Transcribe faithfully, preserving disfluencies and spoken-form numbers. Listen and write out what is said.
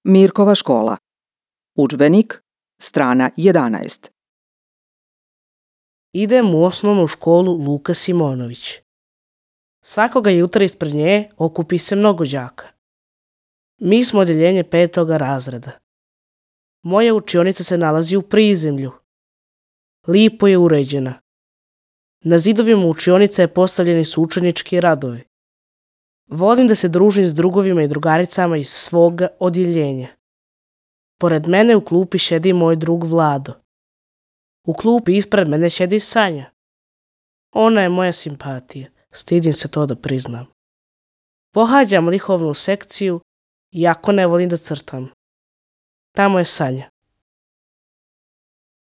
Mirkova škola. Udžbenik, strana jedanaest. Idem u osnovnu školu Luka Simonović. Svakoga jutra ispred nje okupi se mnogo đaka. Mi smo odjeljenje petoga razreda. Moja učionica se nalazi u prizemlju. Lipo je uređena. Na zidovima učionice je postavljeni su učenički radovi. Volim da se družim s drugovima i drugaricama iz svoga odjeljenja. Pored mene u klupi šedi moj drug Vlado. U klupi ispred mene šedi Sanja. Ona je moja simpatija, stidim se to da priznam. Pohađam likovnu sekciju, iako ne volim da crtam. Tamo je Sanja.